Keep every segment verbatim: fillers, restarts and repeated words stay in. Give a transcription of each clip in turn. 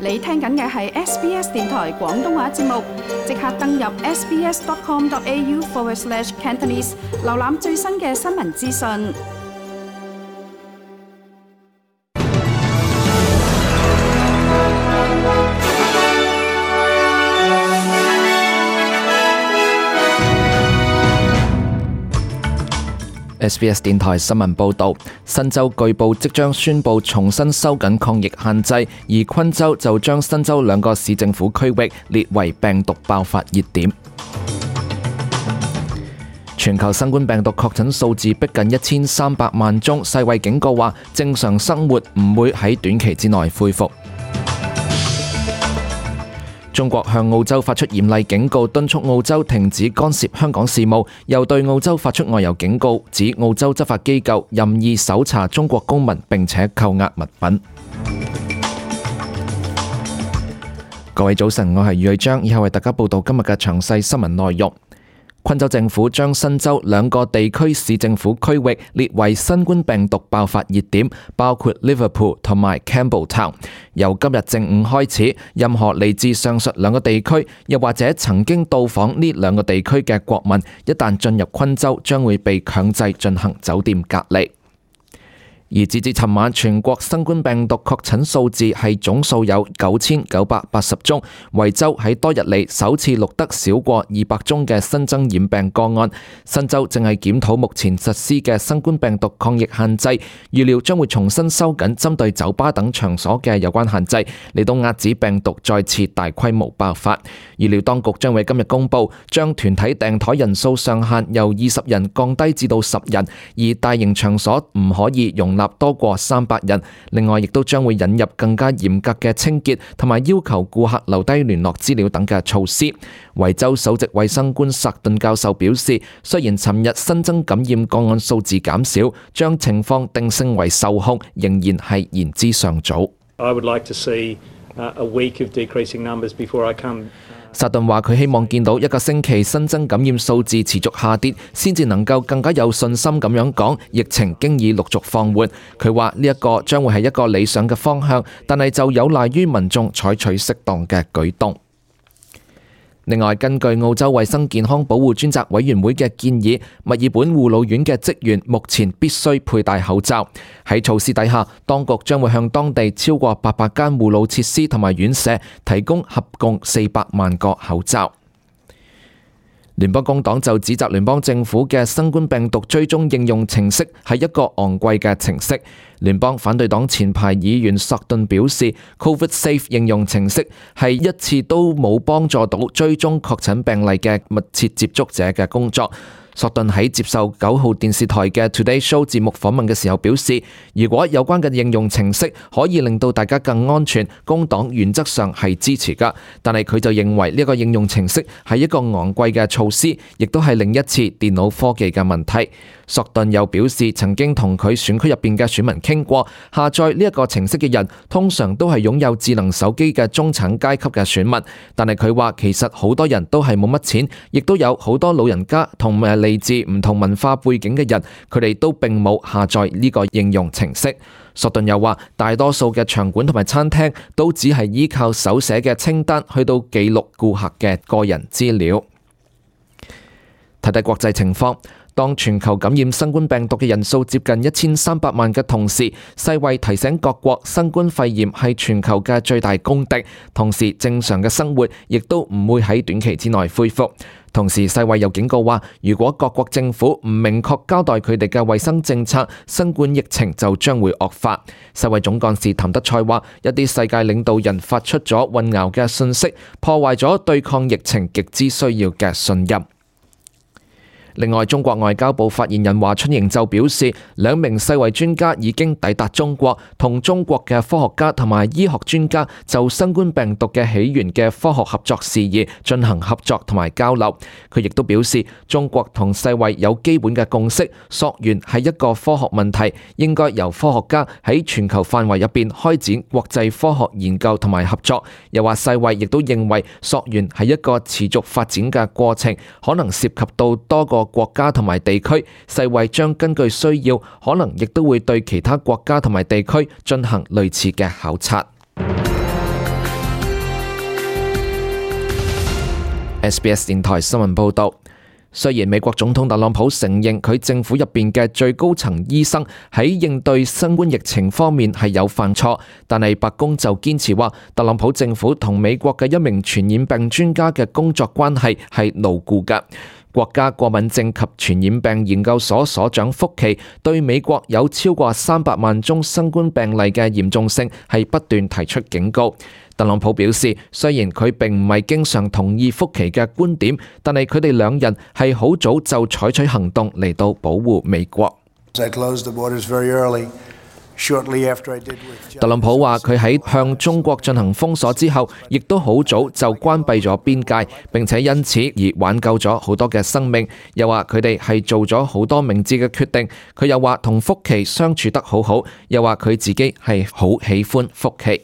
你聽緊嘅係 S B S 電台廣東話節目，即刻登入 sbs.com.au forward slash Cantonese， 瀏覽最新嘅新聞資訊。S B S 電台新聞報導，新州據報即將宣布重新收緊抗疫限制，而昆州就將新州兩個市政府區域列為病毒爆發熱點。全球新冠病毒確診數字逼近一千三百萬宗，世衛警告話正常生活唔會喺短期之內恢復。中國向澳洲發出嚴厲警告，敦促澳洲停止干涉香港事務，又對澳洲發出外遊警告，指澳洲執法機構任意搜查中國公民並且扣押物品。各位早晨，我係余偉章，以後為大家報道今日嘅詳細新聞內容。昆州政府將新州兩個地區市政府區域列為新冠病毒爆發熱點，包括 Liverpool 同埋 Campbelltown。由今日正午開始，任何嚟自上述兩個地區，又或者曾經到訪呢兩個地區嘅國民，一旦進入昆州，將會被強制進行酒店隔離。而截至尋晚，全國新冠病毒確診數字係總數有九千九百八十宗，維州喺多日嚟首次錄得少過二百宗嘅新增染病個案。新州正係檢討目前實施嘅新冠病毒抗疫限制，預料將會重新收緊針對酒吧等場所嘅有關限制，嚟到遏止病毒再次大規模爆發。預料當局將會今日公佈，將團體訂枱人數上限由二十人降低至到十人，而大型場所唔可以容納多過三百人。另外，亦都將會引入更加嚴格嘅清潔同埋要求顧客留低聯絡資料等嘅措施。維州首席衛生官薩頓教授表示，雖然尋日新增感染個案數字減少，將情況定性為受控，仍然係言之尚早。I would like to see a week of decreasing numbers before I come. 薩頓話佢希望見到一個星期新增感染數字持續下跌，先至能夠更加有信心咁樣講疫情經已陸續放緩。佢話呢一個將會係一個理想嘅方向，但係就有賴於民眾採取適當嘅舉動。另外，根據澳洲衛生健康保護專責委員會嘅建議，墨爾本護老院嘅職員目前必須佩戴口罩。喺措施底下，當局將會向當地超過八百間護老設施同埋院舍提供合共四百萬個口罩。聯邦工黨就指責聯邦政府嘅新冠病毒追蹤應用程式係一個昂貴嘅程式。聯邦反對黨前排議員索頓表示 ，Covid Safe 應用程式係一次都冇幫助到追蹤確診病例嘅密切接觸者嘅工作。索頓喺接受九號電視台嘅 Today Show 節目訪問嘅時候表示，如果有關嘅應用程式可以令到大家更安全，工黨原則上係支持㗎。但係佢就認為呢個應用程式係一個昂貴嘅措施，亦都係另一次電腦科技嘅問題。索頓又表示，曾經同佢選區入邊嘅選民傾過，下載呢一個程式嘅人通常都係擁有智能手機嘅中產階級嘅選民，但係佢話其實好多人都係冇乜錢，亦都有好多老人家同埋嚟自唔同文化背景嘅人，佢哋都並冇下載呢個應用程式。索頓又話，大多數嘅場館同埋餐廳都只係依靠手寫嘅清單去到記錄顧客嘅個人資料。睇睇國際情況。當全球感染新冠病毒嘅人數接近一千三百萬嘅同時，世衛提醒各國新冠肺炎係全球嘅最大公敵，同時正常嘅生活亦都唔會喺短期之內恢復。同時，世衛又警告話，如果各國政府唔明確交代佢哋嘅衛生政策，新冠疫情就將會惡化。世衛總幹事譚德塞話，一啲世界領導人發出咗混淆嘅信息，破壞咗對抗疫情極之需要嘅信任。另外，中國外交部發言人華春瑩就表示，兩名世衛專家已經抵達中國，同中國嘅科學家同埋醫學專家就新冠病毒嘅起源嘅科學合作事宜進行合作同埋交流。佢亦都表示，中國同世衛有基本嘅共識，溯源係一個科學問題，應該由科學家喺全球範圍入邊開展國際科學研究同埋合作。又話世衛亦都認為溯源係一個持續發展嘅過程，可能涉及到多個國家同埋地區，世衛將根據需要，可能亦都會對其他國家同埋地區進行類似嘅考察。S B S 電台新聞報道。雖然美國總統特朗普承認佢政府入邊嘅最高層醫生喺應對新冠疫情方面係有犯錯，但係白宮就堅持話特朗普政府同美國嘅一名傳染病專家嘅工作關係係牢固嘅。國家過敏症及傳染病研究所所長福奇對美國有超過三百萬宗新冠病例嘅嚴重性係不斷提出警告。特朗普表示，雖然佢並唔係經常同意福奇嘅觀點，但係佢哋兩人係好早就採取行動嚟到保護美國。特朗普話佢喺向中國進行封鎖之後，亦都好早就關閉咗邊界，並且因此而挽救咗好多嘅生命。又話佢哋係做咗好多明智嘅決定。佢又話同福奇相處得好好，又話佢自己係好喜歡福奇。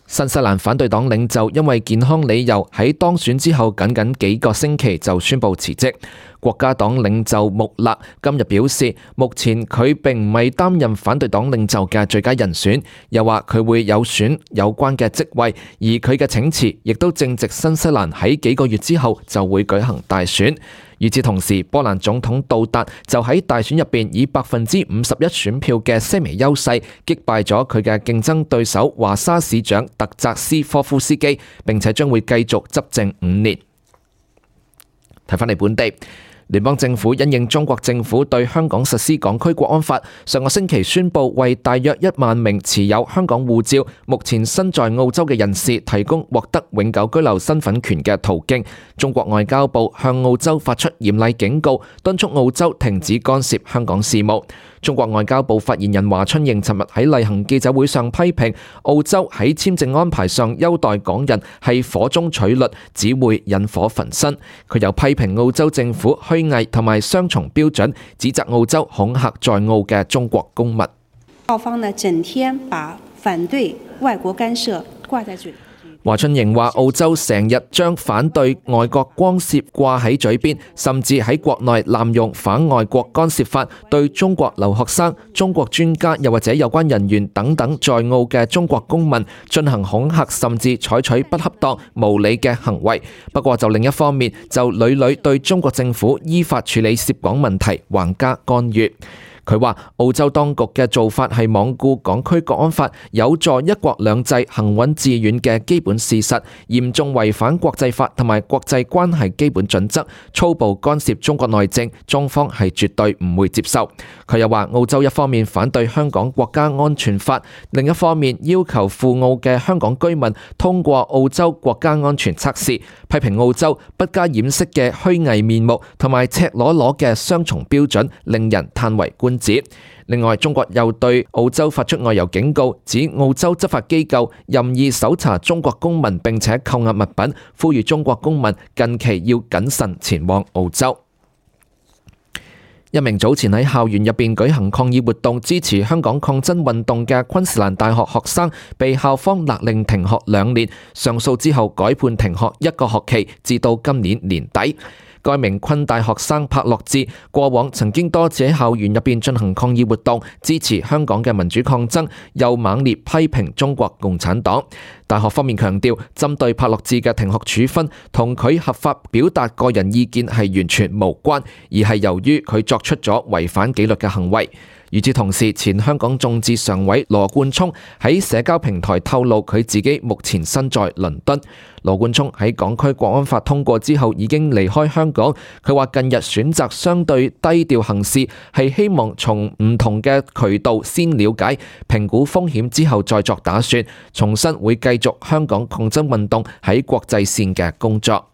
新西蘭反對黨領袖因為健康理由喺當選之後僅僅幾個星期就宣布辭職。國家黨領袖穆勒今日表示，目前佢並唔係擔任反對黨領袖嘅最佳人選，又話佢會有選有關嘅職位，而佢嘅請辭亦都正值新西蘭喺幾個月之後就會舉行大選。與此同時，波蘭總統杜達就喺大選入邊以百分之五十一選票嘅些微優勢擊敗咗佢嘅競爭對手華沙市長特扎斯科夫斯基，並且將會繼續執政五年。睇返嚟本地。聯邦政府因應中國政府對香港實施港區國安法，上個星期宣布為大約一萬名持有香港護照、目前身在澳洲嘅人士提供獲得永久居留身份權嘅途徑。中國外交部向澳洲發出嚴厲警告，敦促澳洲停止干涉香港事務。中國外交部發言人華春瑩尋日喺例行記者會上批評澳洲喺簽證安排上優待港人係火中取栗，只會引火焚身。佢又批評澳洲政府虛偽同埋雙重標準，指責澳洲恐嚇在澳嘅中國公民。澳方呢整天把反對外國干涉掛在嘴。華春瑩話：澳洲成日將反對外國干涉掛喺嘴邊，甚至喺國內濫用反外國干涉法，對中國留學生、中國專家又或者有關人員等等在澳嘅中國公民進行恐嚇，甚至採取不恰當、無理嘅行為。不過就另一方面，就屢屢對中國政府依法處理涉港問題橫加干預。佢話澳洲當局嘅做法係罔顧港區國安法有助一國兩制行穩致遠嘅基本事實，嚴重違反國際法同埋國際關係基本準則，粗暴干涉中國內政，中方係絕對唔會接受。佢又話澳洲一方面反對香港國家安全法，另一方面要求赴澳嘅香港居民通過澳洲國家安全測試，批評澳洲不加掩飾嘅虛偽面目同埋赤裸裸嘅雙重標準，令人嘆為觀。另外，中國又對澳洲發出外遊警告，指澳洲執法機構任意搜查中國公民並且扣押物品，呼籲中國公民近期要謹慎前往澳洲。一名早前喺校園入邊舉行抗議活動支持香港抗爭運動嘅昆士蘭大學學生，被校方勒令停學兩年，上訴之後改判停學一個學期，至到今年年底。該名昆大學生柏樂志過往曾經多次喺校園入邊進行抗議活動，支持香港嘅民主抗爭，又猛烈批評中國共產黨。大學方面強調，針對柏樂志嘅停學處分同佢合法表達個人意見係完全無關，而係由於佢作出咗違反紀律嘅行為。與此同時，前香港眾志常委羅冠聰喺社交平台透露佢自己目前身在倫敦。羅冠聰喺港區國安法通過之後已經離開香港。佢話近日選擇相對低調行事，係希望從唔同嘅渠道先了解、評估風險之後再作打算，重申會繼續香港抗爭運動喺國際線嘅工作。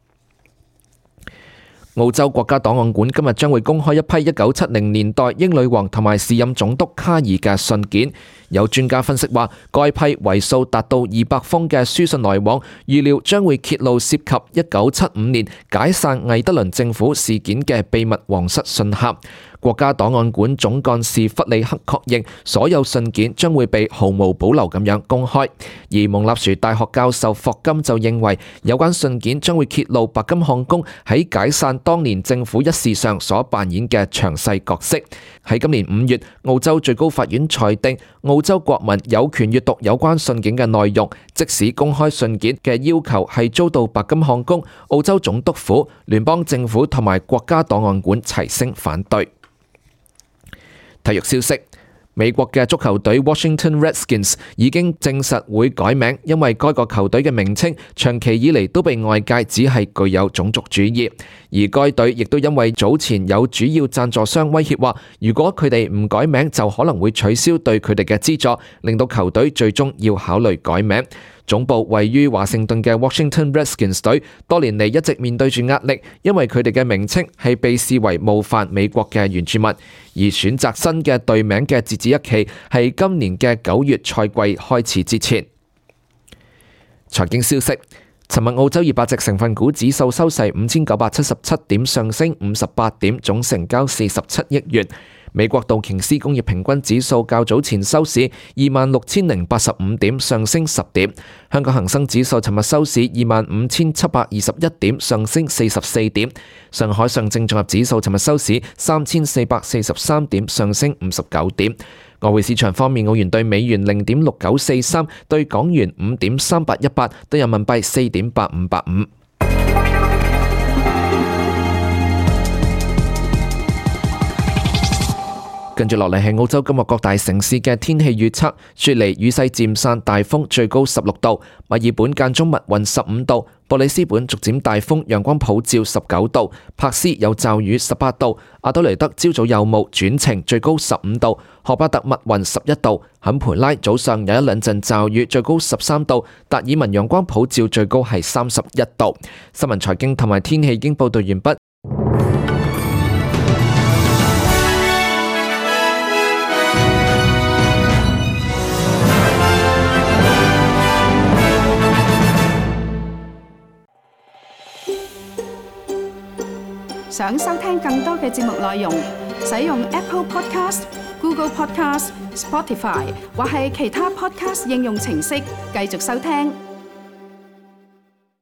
澳洲國家檔案館今日將會公開一批一九七零年代英女王同埋時任總督卡爾嘅信件。有專家分析話，該批為數達到二百封嘅書信來往，預料將會揭露涉及一九七五年解散魏德倫政府事件嘅秘密皇室信函。國家檔案館總幹事弗里克確認，所有信件將會被毫無保留咁樣公開。而蒙納殊大學教授霍金就認為，有關信件將會揭露白金漢宮喺解散當年政府一事上所扮演嘅詳細角色。喺今年五月，澳洲最高法院裁定，澳洲國民有權閱讀有關信件嘅內容，即使公開信件嘅要求係遭到白金漢宮、澳洲總督府、聯邦政府同埋國家檔案館齊聲反對。體育消息，美國嘅足球隊 Washington Redskins 已經證實會改名，因為該個球隊嘅名稱長期以嚟都被外界指係具有種族主義，而該隊亦都因為早前有主要贊助商威脅話，如果佢哋唔改名就可能會取消對佢哋嘅資助，令到球隊最終要考慮改名。總部位於華盛頓嘅 Washington Redskins 隊多年嚟一直面對住壓力，因為佢哋嘅名稱係被視為冒犯美國嘅原住民，而選擇新嘅隊名嘅截止日期係今年嘅九月賽季開始之前。財經消息，尋日澳洲二百隻成分股指數收市五千九百七十七點，上升五十八點，總成交四十七億元。美國道瓊斯工業平均指數較早前收市二萬六千零八十五點，上升十點。香港恒生指數尋日收市二萬五千七百二十一點，上升四十四點。上海上證綜合指數尋日收市三千四百四十三點，上升五十九點。外匯市場方面，澳元對美元零點六九四三，對港元五點三八一八，對人民幣四點八五八五。跟住落嚟係澳洲今日各大城市嘅天氣預測：雪梨雨勢漸散，大風，最高十六度；墨爾本間中密雲十五度；布里斯本逐漸大風，陽光普照十九度；柏斯有驟雨十八度；阿德雷德朝早有霧轉晴，最高十五度；荷巴特密雲十一度；坎培拉早上有一兩陣驟雨，最高十三度；達爾文陽光普照，最高係三十一度。新聞財經同埋天氣已經報道完畢。想收聽更多嘅節目內容，使用 Apple Podcast、Google Podcast、Spotify 或係其他 Podcast 應用程式繼續收聽。